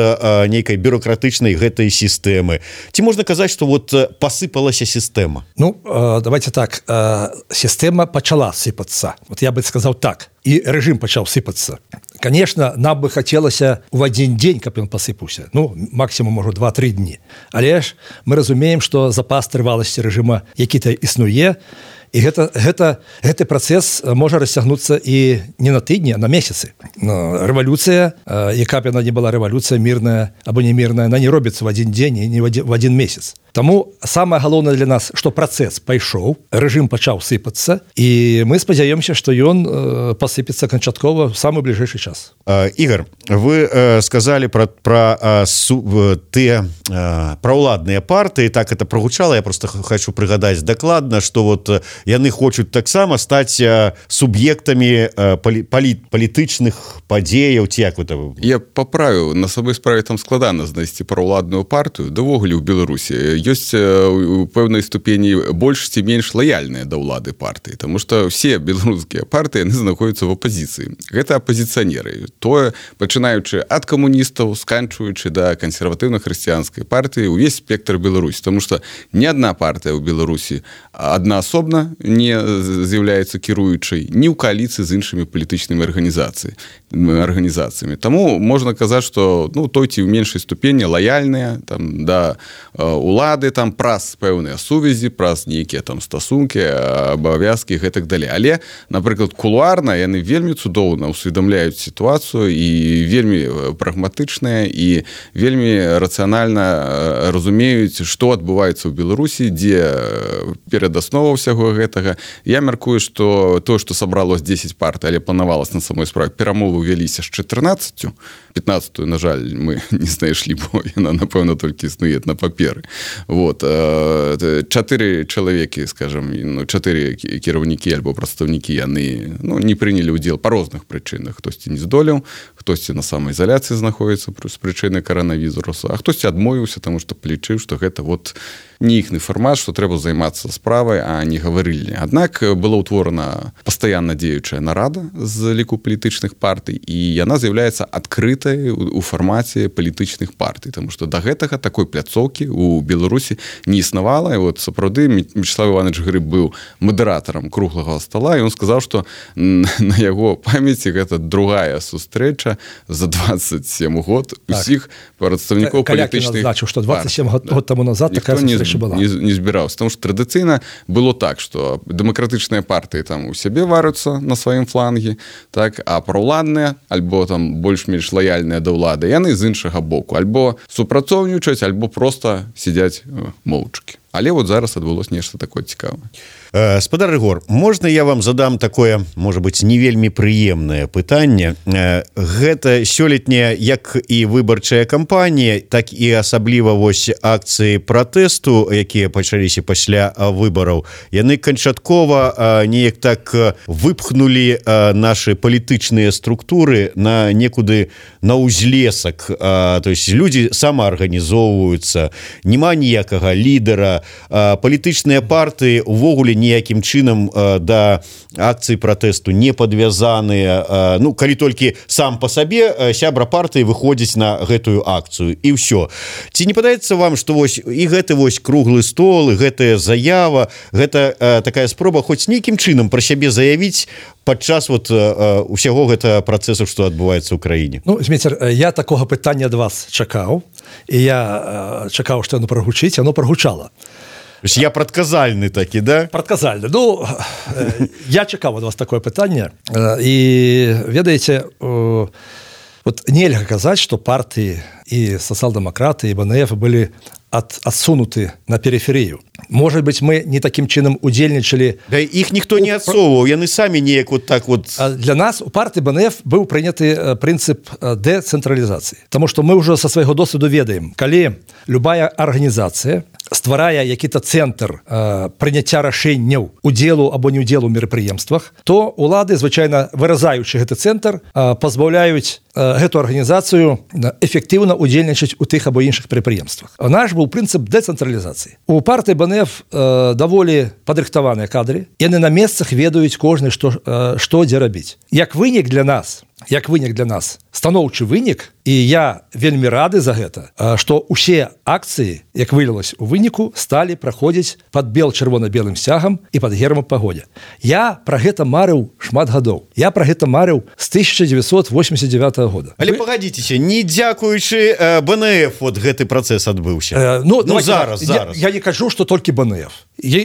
нейкай бюрократычнай гэтай сістэмы. Ці можна казаць, што вот пасыпалася сістэма? Ну, давайте так, сістэма пачала сыпацца. Вот я бы сказаў так. І рэжым пачаў сыпацца. Конечно, нам бы хацелася ў адзін дзень, каб ён пасыпаўся. Ну, максімум, можа, 2-3 дні. Але ж мы разумеем, што запас трываласці рэжыма які-то існуе, і гэты працэс можа расцягнуцца і не на тыдні, а на месяцы. Рэвалюцыя, яка б яна не была рэвалюцыя мірная або не мірная, она не робіцца в адзін дзень і не в адзін месяц. Таму самае галоўнае для нас, што працэс пайшоў, рэжым пачаў сыпацца, і мы спадзяёмся, што ён пасыпецца канчаткова ў самы бліжэйшы час. Ігор, вы сказалі пра ўладныя партыі, так это прагучала, я просто хочу прыгадаць дакладна, што вот яны хочуць таксама стаць суб'ектамі палітычных падзеяў, ці як это... Я паправіў, на сабой справе там складана знайсці праўладную партыю, давогуле ў Беларусі ёсць у пэўнай ступені больш ці менш лаяльныя да ўлады партыі, таму што ўсе беларускія партыі яны знаходзяцца в апазіцыі. Гэта апазіцыянеры. Тое, пачынаючы ад камуністаў, сканчваючы да кансерватыўна-хрысціянскай партыі, увесь спектр Беларусі, таму што ні адна партыя ў Беларусі аднаасобна не з'яўляецца кіруючай ні ў кааліцыі з іншымі палітычнымі арганізацыямі. Таму можна казаць, што той ці ў меншай ступені лаяльныя там да улады, там праз пэўныя сувязі, праз нейкія там стасункі, абавязкі, гэтак далей. Але, напрыклад, кулуарна яны вельмі цудоўна усведамляюць сітуацыю і вельмі прагматычныя і вельмі рацыянальна разумеюць, што адбываецца ў Беларусі, дзе перадасноваў усяго гэтага. Я мяркую, што тое, што сабралось 10 партый, але планавалася на самой справе, перамовы вяліся з 14, 15-ю, на жаль, мы не знайшлі, бо яна, напэўна, толькі існуе на паперы. Вот. 4 чалавекі, скажем, 4 кіраўнікі альбо прадстаўнікі, яны не прынялі ўдзел па розных прычынах. Хтосьці не здолеў, хтосьці на самаізаляцыі знаходзіцца з прычыны каранавірусу, а хтосьці адмовіўся, таму што палічыў, што гэта вот не іхны фармат, што трэба займацца справай, а не гаварылі. Аднак была ўтворана пастаянна дзеючая нарада з ліку палітычных партый, і яна з'яўляецца адкрытай у фармаце палітычных партый, таму што да гэтага такой пляцоўкі у Беларусі не існавала. І вот сапраўды Мячеслав Іванович Грыб быў мадэратарам круглага стола, і ён сказаў, што на яго памяці гэта другая сустрэча за 27 год усіх прадстаўнікоў палітычных партый. Што 27 год таму назад такая сустрэча была. Не збіраўся, таму што традыцыйна было так, што дэмакратычныя партыі там у сябе вараюцца на сваім флангі, так, а праўладныя альбо там больш-менш лаяльныя да ўлады, яны з іншага боку, альбо супрацоўнічаюць, альбо проста сядзяць моўчкі. але вот зараз адбылось нешта такое цікавае. Спадар Рыгор, можна я вам задам такое, можа быть, не вельмі прыемнае пытанне? Гэта сёлетняя як і выбарчая кампанія, так і асабліва вось акцыі пратэсту, якія пачаліся пасля выбараў, яны канчаткова неяк так выпхнулі нашы палітычныя структуры на некуды на ўзлесак. То есть людзі самаарганізоўваюцца, няма ніякага лідара, палітычныя партыі увогуле ніякім чынам да акцыі пратэсту не падвязаныя, ну калі толькі сам па сабе сябра партыі выходзіць на гэтую акцыю і ўсё. Ці не падаецца вам, што вось і гэты вось круглы стол, і гэтая заява, гэта такая спроба хоць нейкім чынам пра сябе заявіць падчас вот усяго гэтага працэсу, што адбываецца ў краіне? Ну, Зміцер, я такога пытання ад вас чакаў, і я чакаў, што яно прагучыць, яно прагучала. Я прадказальны такі, да? Прадказальны. Ну, я чакаў ад вас такое пытанне. І, ведаеце, вот нельга казаць, што партыі і сацыял-дэмакраты, і БНФ былі адсунуты на периферыю. Может быть, мы не таким чынам удзельнічалі. Да іх ніхто не адсоўваў, яны самі неяк вот так вот. Для нас у партыі БНФ быў прыняты прынцып дэцэнтралізацыі. Таму што мы ўжо са свайго досведу ведаем, калі любая арганізацыя стварае які-то цэнтр прыняцця рашэнняў удзелу або неудзелу ў мерапрыемствах, то улады, звычайна выразаючы гэты цэнтр, пазбаўляюць гэту арганізацыю эфектыўна удзельнічаць у тых або іншых прадпрыемствах. Наш быў прынцып дэцэнтралізацыі. У партыі БНФ даволі падрыхтаваныя кадры, яны на месцах ведаюць кожны, што дзе рабіць. Як вынік для нас, станоўчы вынік, і я вельмі рады за гэта, што ўсе акцыі, як вылілася у выніку, сталі праходзіць пад бел-чырвона-белым сцягам і пад гербам пагодзя. Я пра гэта марыў шмат гадоў. Я пра гэта марыў з 1989 года. Але пагадзіцеся, не дзякуючы БНФ вот гэты працэс адбыўся. Зараз. Я не кажу, што толькі БНФ.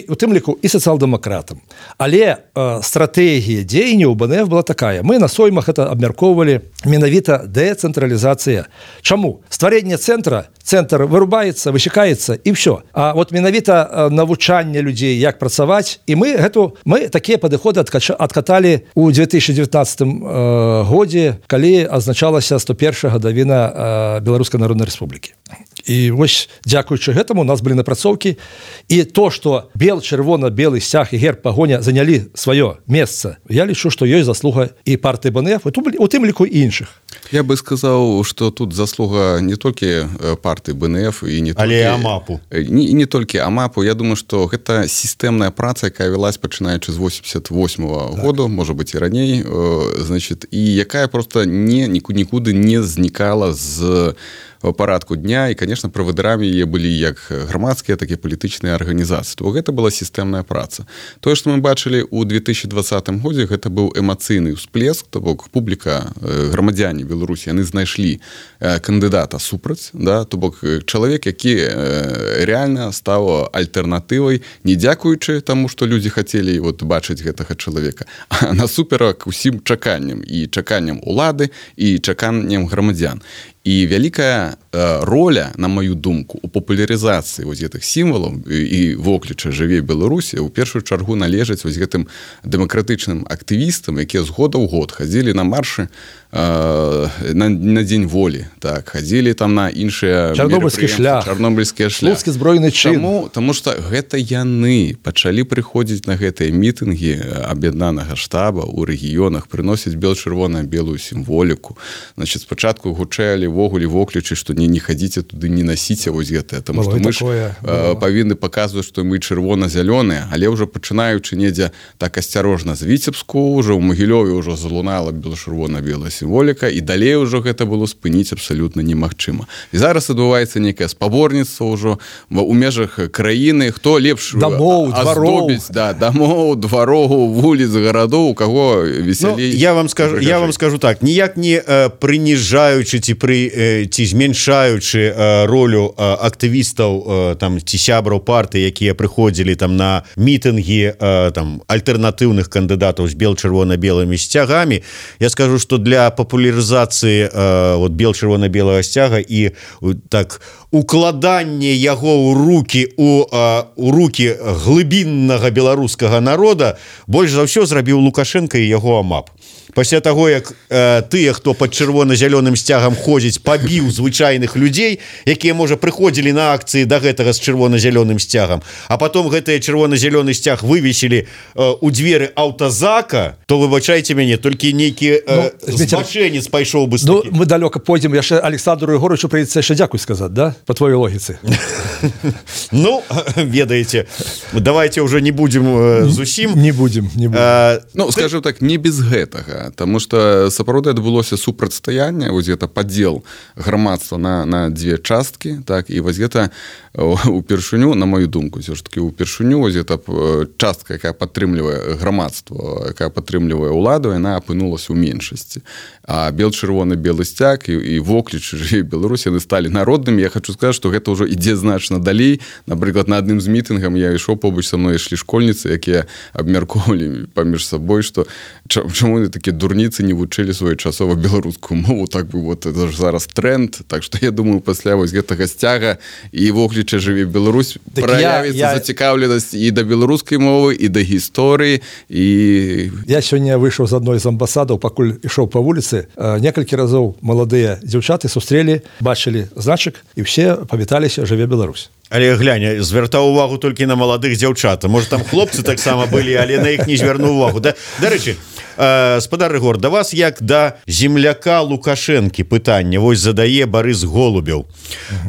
У тым ліку і сацыял-дэмакратам. Але стратэгія дзеянняў БНФ была такая. Мы на соймах это абмяркоўвалі менавіта дэцэнтралізацыя. Чаму? Стварэнне цэнтра, цэнтр вырубаецца, высекаецца і ўсё. А вот менавіта навучанне людзей, як працаваць, і мы такія падыходы адкаталі ў 2019 годзе, калі азначалася 101 гадавіна Беларускай Народнай Рэспублікі. І вось дзякуючы гэтаму у нас былі напрацоўкі, і то, што бел-чырвона-белы сцяг і герб пагоня занялі сваё месца, я лічу, што ёсць заслуга і партыі БНФ, у тым ліку і іншых. Я бы сказаў, што тут заслуга не толькі партыі БНФ і не толькі АМАПу. І не толькі АМАПу. Я думаю, што гэта сістэмная праца, якая вялась пачынаючы з 88-го году, можа быць і раней, значит, і якая проста нікуды не знікала з парадку дня, і, конечно, правадырамі яе былі як грамадскія, так і палітычныя арганізацыі. То гэта была сістэмная праца. Тое, што мы бачылі ў 2020 годзе, гэта быў эмацыйны ўсплеск, то бок публіка, грамадзяне Беларусі, яны знайшлі кандыдата супраць, да, то бок чалавек, які рэальна стаў альтэрнатывай, не дзякуючы таму, што людзі хацелі вот бачыць гэтага чалавека, а насуперак усім чаканням, і чаканням улады, і чаканням грамадзян. І вялікая роля, на маю думку, у папулярызацыі вось гэтых сімвалаў і вокліча «Жыве Беларусі» у першую чаргу належаць вось гэтым дэмакратычным актывістам, якія з года ў год хадзілі на маршы на Дзень волі, так, хадзілі там на іншыя Чарнобыльскі шлях, Слуцкі збройны чын. Таму што гэта яны пачалі прыходзіць на гэтыя мітынгі аб'яднанага штаба ў рэгіёнах, прыносіць бел-чырвона-белую сімволіку. Значит, спачатку гучэлі вогуле воклічы, што не хадзіце туды, не насіце вось гэтае, таму што мы ж павінны паказваць, што мы чырвона-зялёныя, але ўжо пачынаючы недзе так асцярожна з Віцебску, ўжо ў Магілёве ўжо залунала бел-чырвона-белая сімволіка, і далей ужо гэта было спыніць абсалютна немагчыма. І зараз адбываецца некае спаборніцтва ўжо у межах краіны, хто лепш аздобіць, дамоў, двароў, вуліц, гарадоў, у каго весялей. Я вам скажу так, ніяк не прыніжаючы ці ці зменшаючы ролю актывістаў там ці сябраў партыі, якія прыходзілі там на мітынгі там альтэрнатыўных кандыдатаў з бел-чырвона-белымі сцягамі, я скажу, што для папулярызацыі вот бел-чырвона-белага сцяга і так укладанне яго ў рукі глыбіннага беларускага народа больш за ўсё зрабіў Лукашенко і яго АМАП. Пасля таго, як тыя, хто пад чырвона-зялёным сцягам ходзіць, пабіў звычайных людзей, якія, можа, прыходзілі на акцыі да гэтага з чырвона-зялёным сцягам, а потом гэтыя чырвона-зялёны сцяг вывесілі у дзверы аўтазака, то, выбачайце мяне, толькі нейкі збачэнец пайшоў бы з такі. Мы далёка пойдзем, яшчэ Александру Егоровичу прыйдзецца яшчэ дзякуй сказаць, да? По твоей логіцы. Ну, ведаеце, давайте уже не будем зусім. Не будем. Ну, скажем так, не без гэтага. Таму што сапраўды адбылося супрацьстаянне, вось гэта падзел грамадства на дзве часткі, так, і вось гэта упершыню, на мою думку, ўсё ж такі упершыню вось гэта частка, якая падтрымлівае грамадства, якая падтрымлівае ўладу, яна апынулася ў меншасці. А бел-чырвоны-белы сцяг і вокліч «Жыве Беларусь» яны сталі народнымі. Я хочу сказаць, што гэта ўжо ідзе значна далей. Напрыклад, на адным з мітынгам я ішоў, побач са мной ішлі школьніцы, якія абмяркоўвалі паміж сабой, што чаму яны такія дурніцы не вучылі своечасова беларускую мову, так бы вот это ж зараз тренд. Так што я думаю, пасля вось гэтага сцяга і вокліча «Жыве Беларусь» праявіцца зацікаўленасць і да беларускай мовы, і да гісторыі. Я сёння выйшаў з адной з амбасадаў, пакуль ішоў па вуліцы, некалькі разоў маладыя дзяўчаты сустрэлі, бачылі значак і ўсе павіталіся «Жыве Беларусь». Але глянь, звяртаў увагу толькі на маладых дзяўчат. Можа, там хлопцы таксама былі, але на іх не звярнуў увагу. Дарэчы, спадар Рыгор, да вас як да земляка Лукашэнкі пытанне вось задае Барыс Голубеў.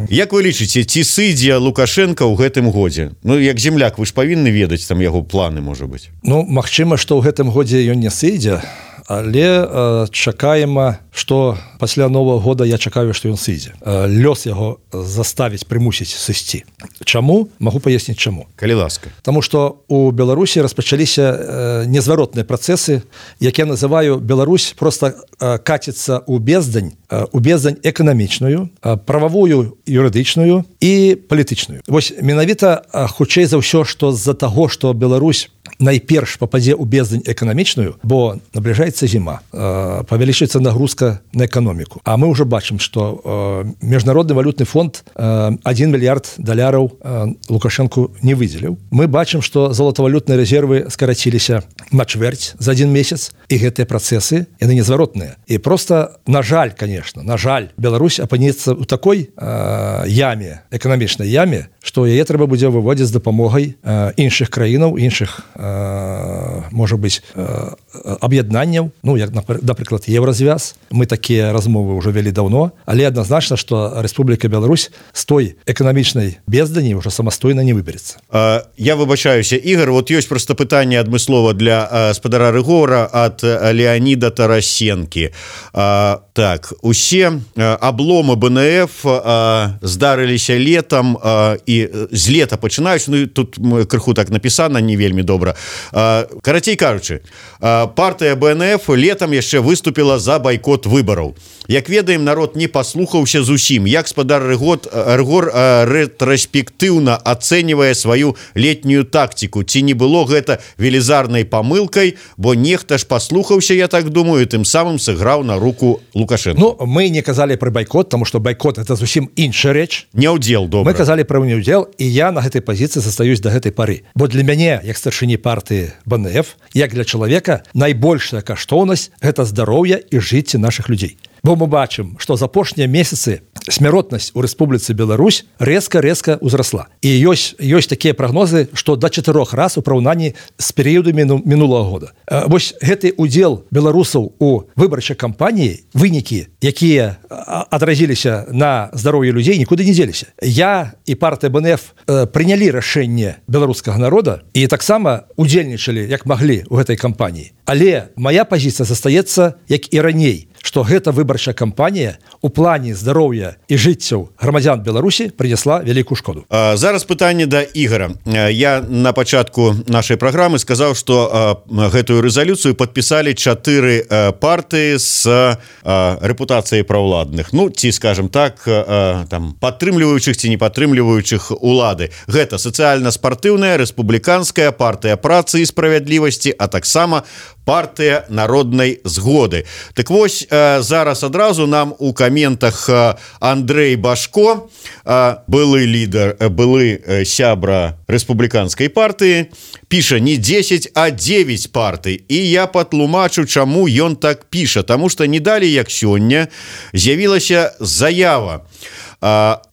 Як вы лічыце, ці сыдзе Лукашенко ў гэтым годзе? Ну, як земляк, вы ж павінны ведаць там яго планы, можа быць. Ну, магчыма, што ў гэтым годзе ён не сыдзе, але чакаема, што пасля Новага года я чакаю, што ён сыдзе. Лёс яго заставіць, прымусіць сысці. Чаму? Магу паясніць чаму. Калі ласка. Таму што у Беларусі распачаліся незваротныя працэсы, як я называю, Беларусь просто каціцца ў бездань эканамічную, прававую, юрыдычную і палітычную. Вось менавіта хутчэй за ўсё, што з-за таго, што Беларусь найперш пападзе ў бездань эканамічную, бо набліжаецца зіма, павялічыцца нагрузка на эканоміку. А мы ўжо бачым, што Міжнародны валютны фонд $1 мільярд Лукашенку не выдзеліў. Мы бачым, што золатавалютныя рэзервы скараціліся на чвэрць за один месяц, і гэтыя працэсы, яны незваротныя. І проста, на жаль, конечно, Беларусь апынецца ў такой яме, эканамічнай яме, што яе трэба будзе выводзіць з дапамогай іншых краінаў, іншых, можа быць, аб'яднанняў, ну, як, напрыклад, Еўразвяз. Мы такія размовы ўжо вялі даўно, але адназначна, што Рэспубліка Беларусь з той эканамічнай бездані ўжо самастойна не выберэцца. Я выбачаюся, Ігор, вот ёсць проста пытанне адмыслова для спадара Рыгора ад Леаніда Тарасенкі. Так, усе абломы БНФ здарыліся летам і з лета пачынаюць, ну, тут крыху так напісана, не вельмі добра. Карацей кажучы, партыя БНФ летам яшчэ выступіла за байкот выбараў. Як ведаем, народ не паслухаўся зусім. Як спадар Рыгор рэтраспектыўна ацэньвае сваю летнюю тактику? Ці не было гэта велізарнай памылкай, бо нехта ж паслухаўся, я так думаю, тым самым сыграў на руку Лукашенко. Ну, мы не казалі пра байкот, таму што байкот это зусім інша рэч. Няўдзел, добра. Мы казалі пра няўдзел, і я на гэтай пазіцыі застаюсь да гэтай пары. Бо для мяне, як старшыні партыі БНФ, як для чалавека, найбольшая каштоўнасць гэта здароўе і жыцці нашых людзей. Бо мы бачым, што за апошнія месяцы смяротнасць у Рэспубліцы Беларусь рэзка ўзрасла. І ёсць такія прагнозы, што да 4 раз у параўнанні з перыядамі мінулага года. Вось гэты удзел беларусаў у выбарчай кампаніі, вынікі, якія адразіліся на здароўе людзей, нікуды не дзеліся. Я і партыя БНФ прынялі рашэнне беларускага народа і таксама удзельнічалі, як маглі, у гэтай кампаніі. Але моя пазіцыя застаецца, як і раней. што гэта выбарчая кампанія у плане здароўя і жыццяў грамадзян Беларусі прынесла вялікую шкоду. Зараз пытанне да Ігора. Я на пачатку нашай праграмы сказаў, што гэтую рэзалюцыю падпісалі 4 партыі з рэпутацыяй праўладных. Ну, ці, скажем так, там падтрымліваючых ці не падтрымліваючых улады. Гэта сацыяльна-спартыўная, рэспубліканская, партыя працы і справядлівасці, а таксама партыя народнай згоды. Так вось, зараз адразу нам у каментах Андрей Башко, былы лідар, былы сябра рэспубліканскай партыі, піша не 10, а 9 партый. І я патлумачу, чаму ён так піша. Таму што не далі, як сёння, з'явілася заява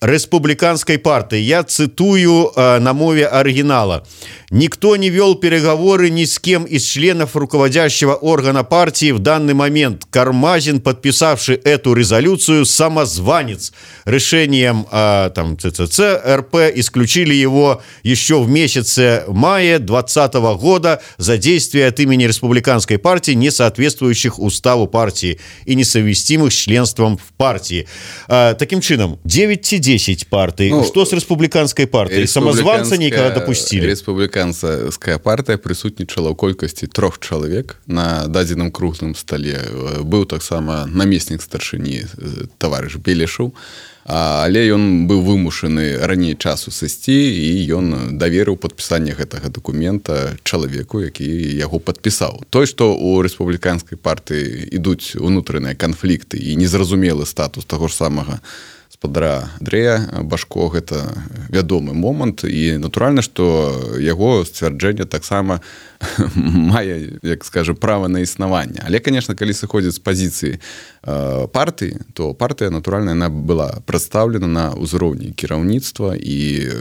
республиканской партии. Я цитую на мове оригинала. Никто не вел переговоры ни с кем из членов руководящего органа партии в данный момент. Кармазин, подписавший эту резолюцию, самозванец. Решением ЦЦЦ РП исключили его еще в месяце мая 2020 года за действия от имени республиканской партии, не соответствующих уставу партии и несовместимых с членством в партии. Таким чином, 9-10 партий. Ну, что с республиканской партией? Самозванца никогда допустили? Республиканская партия присутнічала ў колькасці 3 чалавек на дадзеным круглым столе. Быў таксама намеснік старшыні таварыш Белешаў, але ён быў вымушаны раней часу сысці, і ён даверыў падпісанне гэтага дакумента чалавеку, які яго падпісаў. Той, што у рэспубліканскай партыі ідуць унутраныя канфлікты і незразумелы статус таго ж самага спадара Андрэя Башко, гэта вядомы момант, і натуральна, што яго сцвярджэнне таксама мае, як скажем, права на існаванне. Але, конечно, калі сыходзіць з пазіцыі партыі, то партыя, натуральна, яна была прадстаўлена на ўзроўні кіраўніцтва і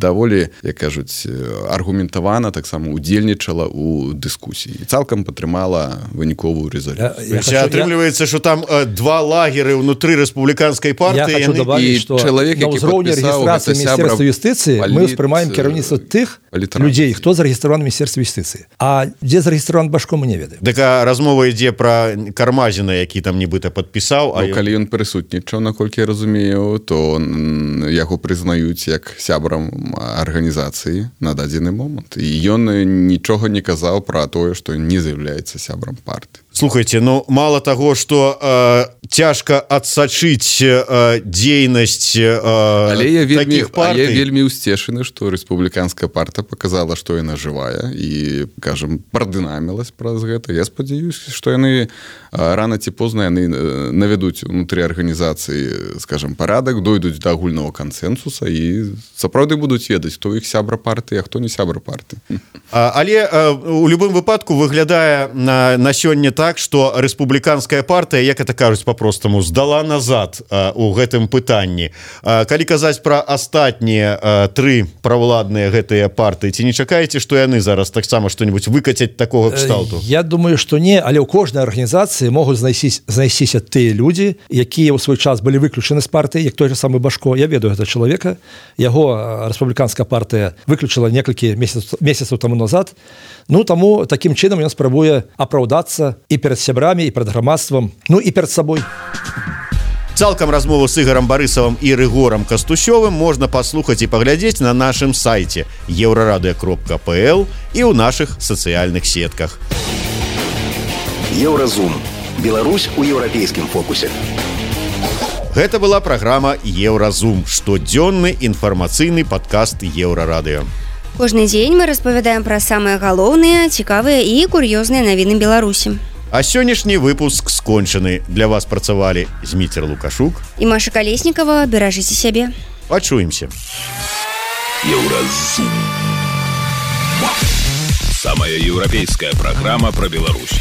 даволі, як кажуць, аргументавана таксама удзельнічала ў дыскусіі. Цалкам падтрымала выніковую рэзалюцыю. Атрымліваецца, што там 2 лагеры ўнутры рэспубліканскай партыі. Я хочу добавить, что на ўзроўні рэгістрацыі Міністэрства юстыцыі мы ўспрымаем кіраўніцтва тых людзей, хто зарэгістраваны ў Міністэрстве юстыцыі. А дзе зарэгістраваны Башко, мы не ведаем. Так размова ідзе пра Кармазіна, які там нібыта падпісаў. Калі ён прысутнічаў, наколькі я разумею, то яго прызнаюць як сябрам арганізацыі на дадзены момант. І ён нічога не казаў пра тое, што не з'яўляецца сябрам партыі. Слухайте, ну мало того, что цяжка адсачыць дзейнасць таких партый. Я вельмі ўсцешаны, што рэспубліканская партыя показала, што яна жывая і, кажам, прадынамілась праз гэта. Я спадзяюсь, што яны рана ці позна яны навядуць унутры арганізацыі, скажам, парадак, дойдуць да агульнага кансэнсуса і сапраўды будуць ведаць, хто іх сябра партыі, а хто не сябра партыі. Але у любым выпадку выглядае на сёння так, што рэспубліканская партыя, як это кажуць па-простаму, здала назад у гэтым пытанні. Калі казаць пра астатнія 3 правладныя гэтыя партыі, ці не чакаеце, што яны зараз таксама што-нибудь выкацяць такога кшталту? Я думаю, што не, але ў кожнай арганізацыі могуць знайсціся тыя людзі, якія ў свой час былі выключаны з партыі, як той же самы Башко. Я ведаю гэта чалавека. Яго рэспубліканская партыя выключыла некалькі месяцаў таму назад. Ну, таму такім чынам ён спрабуе апраўдацца і перед сябрамі, і перед грамадствам, ну і перед сабой. Цалкам размову з Ігарам Барысавым і Рыгорам Кастусёвым можна паслухаць і паглядзець на нашым сайце еўрарадыё.пл і ў нашых сацыяльных сетках. Еўразум. Беларусь у еўрапейскім фокусе. Гэта была праграма Еўразум, штодзённы інфармацыйны падкаст Еўрарадыё. Кожны дзень мы распавядаем пра самыя галоўныя, цікавыя і кур'ёзныя навіны Беларусі. А сённяшні выпуск скончаны. Для вас працавалі Зміцер Лукашук і Маша Калеснікава. Беражыце сябе. Пачуемся. Еўразум. Самая еўрапейская праграма пра Беларусь.